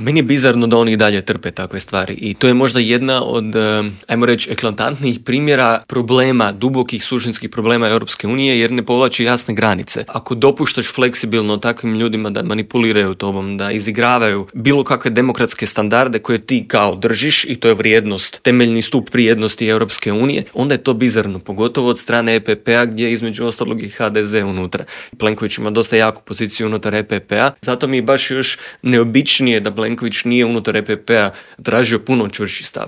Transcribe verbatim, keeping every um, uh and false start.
Meni je bizarno da oni i dalje trpe takve stvari i to je možda jedna od, ajmo reći, eklatantnijih primjera problema, dubokih suštinskih problema Europske unije, jer ne povlači jasne granice. Ako dopuštaš fleksibilno takvim ljudima da manipuliraju tobom, da izigravaju bilo kakve demokratske standarde koje ti kao držiš, i to je vrijednost, temeljni stup vrijednosti Europske unije, onda je to bizarno, pogotovo od strane E P P-a gdje je između ostalog i H D Z unutra. Plenković ima dosta jaku poziciju unutar E P P-a, zato mi je baš još neobičnije da Plenković nije unutar E P P-a tražio puno čvršći stav.